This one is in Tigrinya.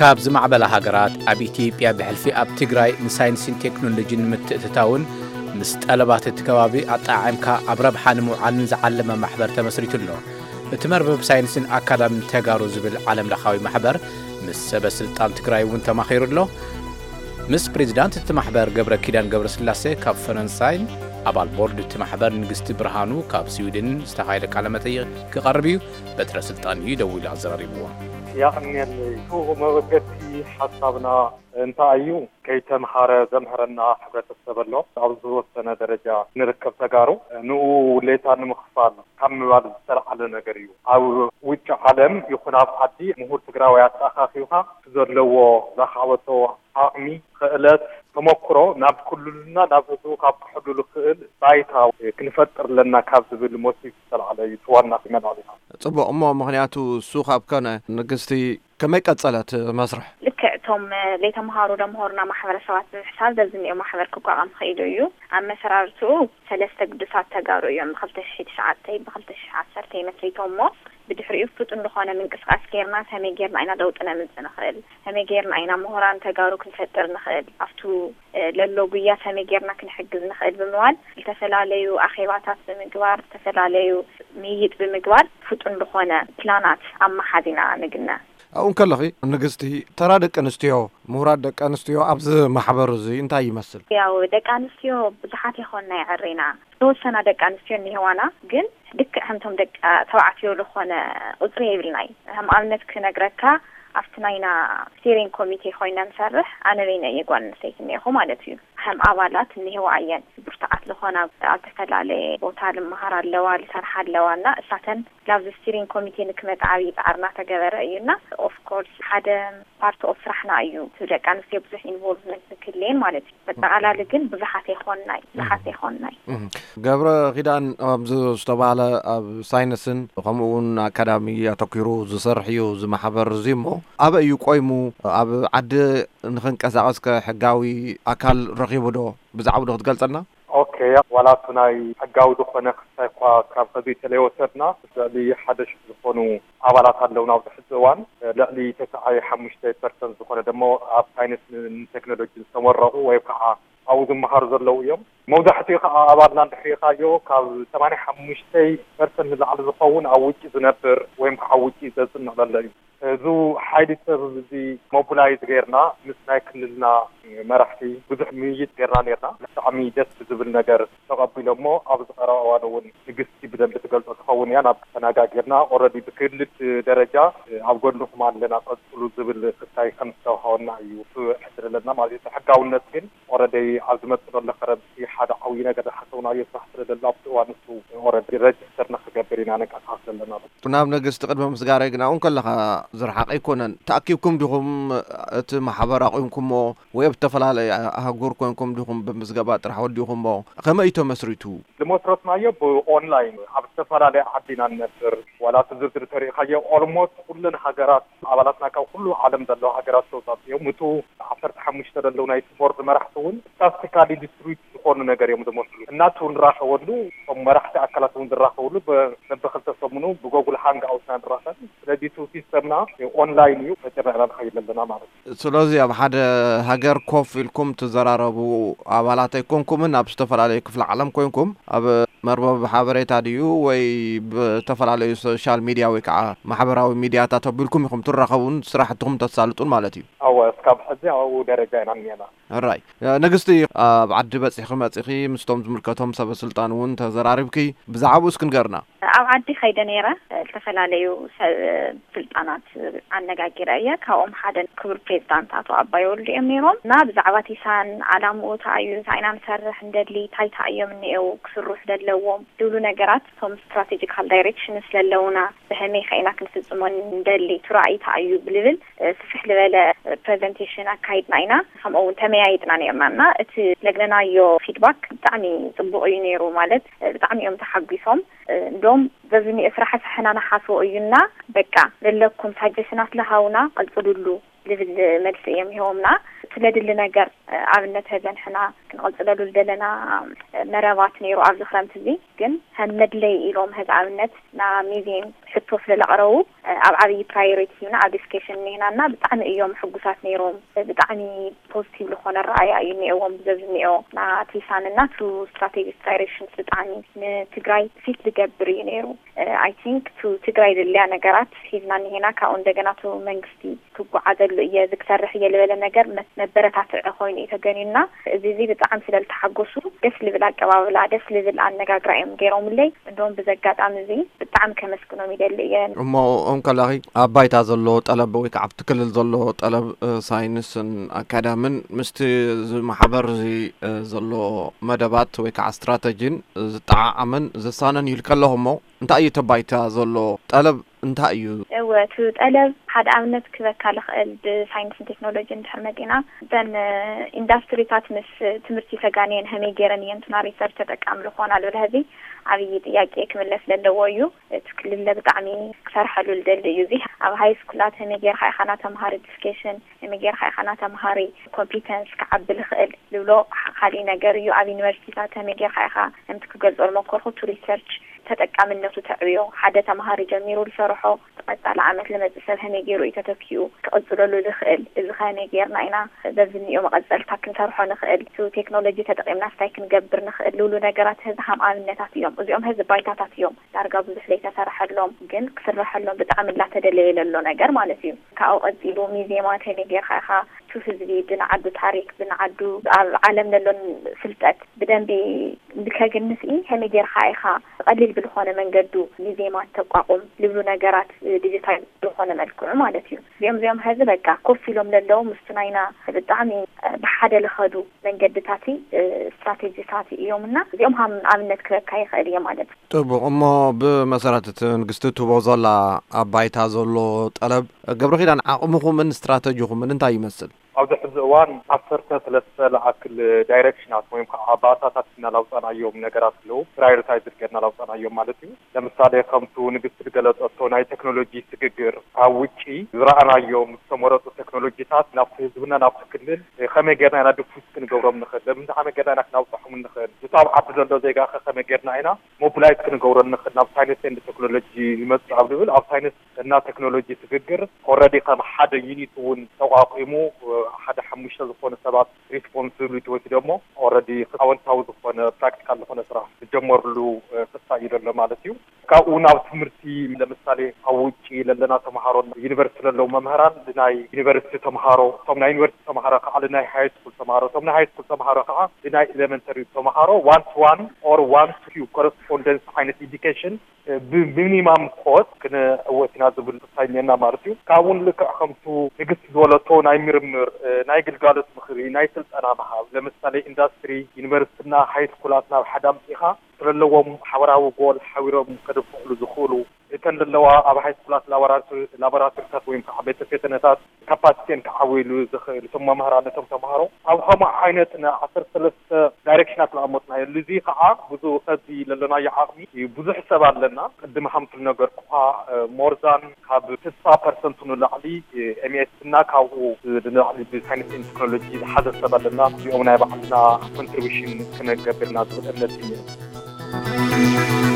ካብ ዝማዕበላ ሃገራት ኣብ ኢትዮጵያ ብሕልፊ ኣብ ትግራይ ንሳይንስን ቴክኖሎጂን ንምትእትታውን ምስ ጠለባት እቲ ከባቢ ኣጠዓዒምካ ኣብ ረብሓ ንምውዓልን ዝዓለመ ማሕበር ተመስሪቱ ኣሎ። እቲ መርበብ ሳይንስን ኣካዳሚን ተጋሩ ዝብል ዓለም ለኻዊ ማሕበር ምስ ሰበ ስልጣን ትግራይ እውን ተማኺሩ ኣሎ። ምስ ፕሬዚዳንት እቲ ማሕበር ገብረ ኪዳን ገብረ ስላሴ ካብ ፈረንሳይን ኣባል ቦርድ እቲ ማሕበር ንግስቲ ብርሃኑ ካብ ስዊድን ዝተኻየደ ቃለ መጠይቕ ክቐርብ እዩ። በትረ ስልጣን እዩ ደዊሉ ኣዘራሪብዎ። የቐንየለይ። እቲ መበገሲ ሓሳብና እንታይ እዩ? ከይተምሃረ ዘምህረና ሕብረተሰብ ኣሎ። ኣብ ዝተወሰነ ደረጃ ንርከብ ተጋሩ ንኡ ውሌታ ንምኽፋል ካብ ምባል ዝተልዓለ ነገር እዩ። ኣብ ውጭ ዓለም ይኹን ኣብ ዓዲ ምሁር ትግራዋይ ኣተኣኻኺብካ እቲ ዘለዎ ዘኻበቶ ዓቕሚ፣ ክእለት፣ ተመክሮ ናብ ክልሉና ናብ ህዝቡ ካብ ክሕሉ ዝኽእል ባይታ ክንፈጥር ኣለና ካብ ዝብል ሞቲቭ ዝተልዓለ እዩ። እቲ ዋና መልዕሊና። ጽቡቕ እሞ ምኽንያቱ እሱ ካብ ከነ ንግስቲ ከመይ ቀጸለ እቲ መስርሕ? ልክዕ እቶም ለይተምሃሩ ደምሃሩና ማሕበረሰባት ብምሕሳብ ዘዝኒኦ ማሕበር ክቋቋም ኽኢሉ እዩ። ኣመሰራርትኡ ሰለስተ ግዱሳት ተጋሩ እዮም። ብክልተ ሽሕ ትሽዓተ ብክልተ ሽሕ ዓሰርተ መስሪቶም እሞ ብድሕሪኡ ፍጡን ዝኾነ ምንቅስቃስ ጌርና ከመይ ጌርና ኢና ለውጢ ነምጽእ ንኽእል፣ ከመይ ጌርና ኢና ምሁራን ተጋሩ ክንፈጥር ንኽእል፣ ኣብቱ ለሎ ጉያ ከመይ ጌርና ክንሕግዝ ንኽእል ብምባል ዝተፈላለዩ ኣኼባታት ብምግባር ዝተፈላለዩ ምይይጥ ብምግባር ፍጡን ዝኾነ ፕላናት ኣመሓዚና ንግነ። ኣብኡ እንከለኺ ንግስቲ፣ ተራ ደቂ ኣንስትዮ፣ ምሁራት ደቂ ኣንስትዮ ኣብዚ ማሕበር እዚ እንታይ ይመስል? ያው ደቂ ኣንስትዮ ብዙሓት ይኾና ይዕሬና። ዝተወሰና ደቂ ኣንስትዮ እኒህዋና፣ ግን ልክዕ ከምቶም ደቂ ተባዕትዮ ዝኾነ ቁፅሪ የብልናይ። ከም ኣብነት ክነግረካ ኣብቲ ናይና ስቴሪንግ ኮሚቴ ኮይና ንሰርሕ ኣነ በይነ እየ ጓል ኣንስተይቲ እኒኹ ማለት እዩ። ከም ኣባላት እኒህዋ እየን ብርቱዓት ዝኾና ኣብ ዝተፈላለየ ቦታ ልመሃር ኣለዋ ልሰርሓ ኣለዋ እና እሳተን ላብዚ ስቲሪንግ ኮሚቴ ንክመጽ ዓብዪ ጻዕሪ እናተገበረ እዩ እና ኦፍኮርስ ሓደ ፓርት ኦፍ ስራሕና እዩ እቲ ደቂ ኣንስትዮ ብዙሕ ኢንቮልቭመንት ንክልየን ማለት እዩ። መጠቓላሊ ግን ብዙሓት ኣይኮንናይ ብዙሓት ኣይኮንናይ። ገብረ ኪዳን ኣብዚ ዝተባህለ ኣብ ሳይንስን ከምኡ እውን ኣካዳሚ ኣተኪሩ ዝሰርሕ እዩ እዚ ማሕበር እዚ እሞ ኣበይ እዩ ቆይሙ ኣብ ዓዲ ንክንቀሳቐስ ከ ሕጋዊ ኣካል ረኺቡ ዶ ብዛዕባኡ ዶ ክትገልጸልና? ኦኬ ዋላ እቲ ናይ ሕጋዊ ዝኾነ ክስታይ እኳ ካብ ከዚ ተለይወሰድና ልዕሊ ሓደ ሽሕ ዝኾኑ ኣባላት ኣለውና ኣብዚ ሕዚ እዋን ልዕሊ ተስዓይ ሓሙሽተ ፐርሰንት ዝኾነ ደሞ ኣብ ሳይንስ ንቴክኖሎጂ ዝተመረቑ ወይ ከዓ ኣብኡ ዝመሃሩ ዘለዉ እዮም። መብዛሕትኡ ከዓ ኣባልና እንድሕሪኻዮ ካብ ሰማንያ ሓሙሽተ ፐርሰንት ንላዕሊ ዝኸውን ኣብ ውጭ ዝነብር ወይም ከዓ ኣብ ውጭ ዘፅንዕ ዘሎ እዩ። እዚ ሓይሊ ሰብ እዚ ሞቢላይዝ ጌርና ምስ ናይ ክልልና መራሕቲ ብዙሕ ምይይጥ ጌርና ኔርና። ብጣዕሚ ደስ ብዝብል ነገር ተቐቢሎሞ ኣብዚ ቀረባ እዋን እውን ንግስቲ ብደንቢ ትገልፆ ትኸውን እያ። ናብ ተነጋጊርና ኦረዲ ብክልል ደረጃ ኣብ ጎንኹም ኣለና ቀፅሉ ዝብል ክስታይ ከም ዝተዋሃወና እዩ ሕስር ዘለና ማለት እዩ። ሕጋውነት ግን ኦረዲ ኣብ ዝመፅእ ዘሎ ክረምቲ ሓደ ዓብዪ ነገር ዝሓሰብናዮ ስራሕ ስለ ዘሎ ኣብቲ እዋን ንሱ ኦረዲ ረጅስተር ንክገብር ኢና ንንቀሳቐስ ዘለና። ናብ ንግስቲ ቅድሚ ምስጋረይ ግን ኣብኡ እንከለኻ ዝረሓቐ ኣይኮነን። ተኣኪብኩም ዲኹም እቲ ማሕበር ኣቑምኩሞ ወይ ኣብ ዝተፈላለየ ኣህጉር ኮንኩም ዲኹም ብምዝገባ ጥራሕ ወዲኹሞ? ከመይ እዩ ተመስሪቱ? ዝመስረትናዮ ብኦንላይን ኣብ ዝተፈላለየ ዓዲ ኢና ንነብር። ዋላ እቲ ዝርዝር ተሪእኻዮ ኦልሞስት ኩለን ሃገራት ኣባላትና ካብ ኩሉ ዓለም ዘለዋ ሃገራት ተውፃፅኦም እቱ ዓሰርተ ሓሙሽተ ዘለዉ ናይቲ ቦርድ መራሕቲ እውን ስታስቲካሊ ዲስትሪክት ዝኾኑ ነገር እዮም ዝመስሉ። እናቱ ንራኸበሉ እቶም መራሕቲ ኣካላት እውን ዝራኸብሉ በብክልተ ሰሙኑ ብጎጉል ሃንግ ኣውትና ንራኸብ። ስለዚ እቲ ሲስተምና ኦንላይን እዩ ተጨናዕና ንኸይድ ኣለና ማለት እዩ። ስለዚ ኣብ ሓደ ሃገር ኮፍ ኢልኩም ትዘራረቡ ኣባላት ኣይኮንኩምን ኣብ ዝተፈላለዩ ክፍለ ዓለም ኮይንኩም ኣብ መርበብ ሓበሬታ ድዩ ወይ ብተፈላለዩ ሶሻል ሚድያ ወይ ከዓ ማሕበራዊ ሚድያታት ኣቢልኩም ኢኹም ትራኸቡን ስራሕትኹም ተሳልጡን ማለት እዩ። ኣወ እስካብ ሕዚ ኣብኡ ደረጃ ኢና እኒአና። ሕራይ ንግስቲ፣ ኣብ ዓዲ በፂሕኺ መፂኺ ምስቶም ዝምልከቶም ሰበ ስልጣን እውን ተዘራሪብኪ፣ ብዛዕባኡ እስኪ ንገርና። ኣብ ዓዲ ከይደ ነይረ ዝተፈላለዩ ሰብ ስልጣናት ኣነጋጊረ እየ። ካብኦም ሓደ ክቡር ፕሬዚዳንት ኣቶ ኣባይ ወልዱ እዮም ነይሮም እና ብዛዕባ ቲሳን ዓላምኡ እንታይ እዩ እንታይ ኢና ንሰርሕ እንደሊ እንታይ እንታይ እዮም እኒኤው ክስርሑ ዘለዎም ዝብሉ ነገራት እቶም ስትራቴጂካል ዳይሬክሽን ስለለውና ብኸመይ ከ ኢና ክንፍፅሞ እንደሊ እቲ ራእይ እንታይ እዩ ብልብል ስፍሕ ዝበለ ፕረዘንቴሽን ኣካይድና ኢና። ከምኡ እውን ተመያይጥና ነይርና እና እቲ ለግነናዮ ፊድባክ ብጣዕሚ ፅቡቕ እዩ ነይሩ። ማለት ብጣዕሚ እዮም ተሓጒሶም። እንዶም ዘዝኒኦ ስራሕ ኣሳሕና ንሓስቦ እዩና በቃ ለለኩም ሳጀሽናት ለሃውና ቀፅሉሉ ዝብል መልሲ እዮም ሂቦምና። ስለድሊ ነገር ኣብነት ሀዘን ሕና ክንቐፅለሉ ዝደለና መረባት ነይሩ ኣብዚ ክረምቲ እዚ ግን ከም መድለይ ኢሎም ሀዚ ኣብነት ና ሚዚየም ሕቶ ስለ ለቕረቡ ኣብ ዓብዪ ፕራዮሪቲ ሂብና ኣብ ዲስከሽን እኒህናና ብጣዕሚ እዮም ሕጉሳት ነይሮም። ብጣዕሚ ፖዚቲቭ ዝኾነ ረኣያ እዩ እኒኦዎም ብዘብ ዝኒኦ ናቲ ሳንና ቱ ስትራቴጂክ ዳይሬክሽንስ ብጣዕሚ ንትግራይ ፊት ዝገብር እዩ ነይሩ። ኣይ ቲንክ ቱ ትግራይ ዘድልያ ነገራት ሒዝና እኒሄና። ካብኡ እንደገና ቱ መንግስቲ ክጓዓዘሉ እየ ዝሰርሕ እየ ዝበለ ነገር መበረታትዒ ኮይኑ እዩ ተገንዩና። እዚ እዚ ብጣዕሚ ስለ ዝተሓጎሱ ደስ ልብል ኣቀባብላ ደስ ልብል ኣነጋግራ እዮም ገይሮምለይ። እንደውም ብዚ ኣጋጣሚ እዚ ብጣዕሚ ከመስግኖም ይደሊ እየ። እሞ እም ከላኺ ኣብ ባይታ ዘሎ ጠለብ ወይ ከዓ ኣብቲ ክልል ዘሎ ጠለብ ሳይንስን ኣካዳምን ምስቲ እዚ ማሕበር እዚ ዘሎ መደባት ወይ ከዓ ስትራተጂን ዝጠዓዓምን ዝሳነን ይልከለኹ እሞ እንታይ እዩ እቲ ባይታ ዘሎ ጠለብ እንታይ እዩ? እወ እቲ ጠለብ ሓደ ኣብነት ክበካ ልኽእል ብሳይንስን ቴክኖሎጂ እንድሕር መፂና እተን ኢንዳስትሪታት ምስ ትምህርቲ ተጋንየን ከመይ ገይረን እየን ቱና ሪሰርች ተጠቃሚ ዝኾና ልብል ሕዚ ዓብዪ ጥያቄ ክምለስ ዘለዎ እዩ። እቲ ክልለ ብጣዕሚ ክሰርሐሉ ልደሊ እዩ። እዚ ኣብ ሃይ ስኩላት ከመይ ጌርካ ኢኻ ናተምሃሪ ዲስኬሽን ከመይ ጌርካ ኢኻ ናተምሃሪ ኮምፒተንስ ክዓቢ ልኽእል ልብሎ ካሊእ ነገር እዩ። ኣብ ዩኒቨርሲቲታት ከመይ ጌርካ ኢኻ ከምቲ ክገልጾ ዝመኮርኩ ቱ ሪሰርች ተጠቃምነቱ ተዕብዮ ሓደ ተምሃሪ ጀሚሩ ዝሰርሖ ቀጻሊ ዓመት ልመጽእ ሰብ ከመይ ገይሩ እዩ ተተኪኡ ክቕጽለሉ ዝኽእል እዚ ከመይ ጌርና ኢና በዚ እኒኦ መቐጸልታ ክንሰርሖ ንኽእል ቱ ቴክኖሎጂ ተጠቒምና ስታይ ክንገብር ንኽእል ልብሉ ነገራት ህዚ ሃም ኣብነታት እዮም። እዚኦም ህዚ ባይታታት እዮም ዳርጋ ብዙሕ ዘይተሰርሐሎም ግን ክስረሐሎም ብጣዕሚ እንዳተደለየ ለሎ ነገር ማለት እዩ። ካብኡ ቀጺሉ ሚዜማ ከመይ ጌርካ ኢኻ ቱ ህዝቢ ብንዓዱ ታሪክ ብንዓዱ ኣብ ዓለም ለሎን ፍልጠት ብደንቢ እንድከግንስ ከመይ ጌርካ ኢኻ ቀሊል ብልኾነ መንገዱ ሚዜማ ተቋቁም ልብሉ ነገራት ዲጂታል ዝኾነ መልክዑ ማለት እዩ። እዚኦም እዚኦም ሀዚ በቃ ኮፍ ኢሎም ለለዉ ምስቱ ናይና ብጣዕሚ ብሓደ ልኸዱ መንገድታት ስትራቴጂታት እዮም እና እዚኦም ሃም ኣብነት ክበካ ይኽእል እየ ማለት እዩ። ጥቡቕ እሞ ብመሰረት እቲ ንግስቲ ትቦ ዘላ ኣብ ባይታ ዘሎ ጠለብ ገብረ ኪዳን ዓቕምኹምን ስትራተጂኹምን እንታይ ይመስል? ኣብዚ ሕዚ እዋን ዓሰርተ ሰለስተ ለኣክል ዳይሬክሽናት ወይም ከዓ ባእታታት እና ላውፃናዮም ነገራት ኣለዉ ፕራዮሪታይዝ ገርና ላውፃናዮም ማለት እዩ። ለምሳሌ ከምቱ ንግስቲ ዝገለፀቶ ናይ ቴክኖሎጂ ስግግር ካብ ውጪ ዝረኣናዮም ዝተመረፁ ቴክኖሎጂታት ናብቲ ህዝብና ናብቲ ክልል ከመይ ገርና ኢና ድፉስ ክንገብሮም ንኽእል ለምንታ ከመይ ገርና ኢና ክናውፃሖም ንኽእል ምስ ኣብ ዓዲ ዘሎ ዜጋ ከ ከመይ ገርና ኢና ሞቢላይዝ ክንገብሮ ንኽእል ናብ ሳይንስ ኤንድ ቴክኖሎጂ ይመፅእ ኣብ ዝብል ኣብ ሳይንስ እና ቴክኖሎጂ ስግግር ኦረዲ ከም ሓደ ዩኒት እውን ተቋቂሙ ሓደ ሓሙሽተ ዝኾኑ ሰባት ሪስፖንሲቢሊቲ ወሲዶሞ ኦረዲ ኣወንታዊ ዝኾነ ፕራክቲካል ዝኾነ ስራሕ ዝጀመርሉ ክሳ እዩ ዘሎ ማለት እዩ። ካብኡ ናብ ትምህርቲ ለምሳሌ ኣብ ውጭ ለለና ተምሃሮ ዩኒቨርሲቲ ለለው መምህራን ናይ ዩኒቨርሲቲ ተምሃሮ እቶም ናይ ዩኒቨርሲቲ ተምሃሮ ከዓ ናይ ሃይ ስኩል ተምሃሮ እቶም ናይ ሃይ ስኩል ተምሃሮ ከዓ ናይ ኤሌመንተሪ ተምሃሮ ዋን ቱ ዋን ኦር ዋን ቱ ኮረስፖንደንስ ዓይነት ኤዲኬሽን ብሚኒማም ኮስት ክንዕወት ኢና ዝብል ተስፋ እኒኤና ማለት እዩ። ካብኡ ንልክዕ ከምቱ ንግስቲ ዝበለቶ ናይ ምርምር፣ ናይ ግልጋሎት ምኽሪ፣ ናይ ስልጠና ምሃብ፣ ለምሳሌ ኢንዳስትሪ፣ ዩኒቨርሲቲና ሃይ ስኩላት ናብ ሓደ ኣምፂእኻ ስለለዎም ሓበራዊ ጎል ሓቢሮም ከድፍዕሉ ዝኽእሉ እተን ዘለዋ ኣብ ሃይ ስኩላት ላቦራቶሪታት ወይም ከዓ ቤተ ፈተነታት ካፓሲቲን ክዓብይሉ ዝኽእል እቶም መምህራን ነቶም ተምሃሮ ኣብ ከምኡ ዓይነት ን ዓሰርተ ሰለስተ ዳይሬክሽናት ዝኣመፅናዮ እዚ ከዓ ብዙ ከዚ ለለናዮ ዓቕሚ ብዙሕ ሰብ ኣለና ቅድሚ ሃምቱ ዝነገርኩካ ሞርዛን ካብ ስሳ ፐርሰንቱ ንላዕሊ ኤምኤስ እና ካብኡ ንላዕሊ ብሳይንስ ቴክኖሎጂ ዝሓዘ ሰብ ኣለና እዚኦም ናይ ባዕልና ኮንትሪቢሽን ክነገብርና ዝብል እምነት እዩ።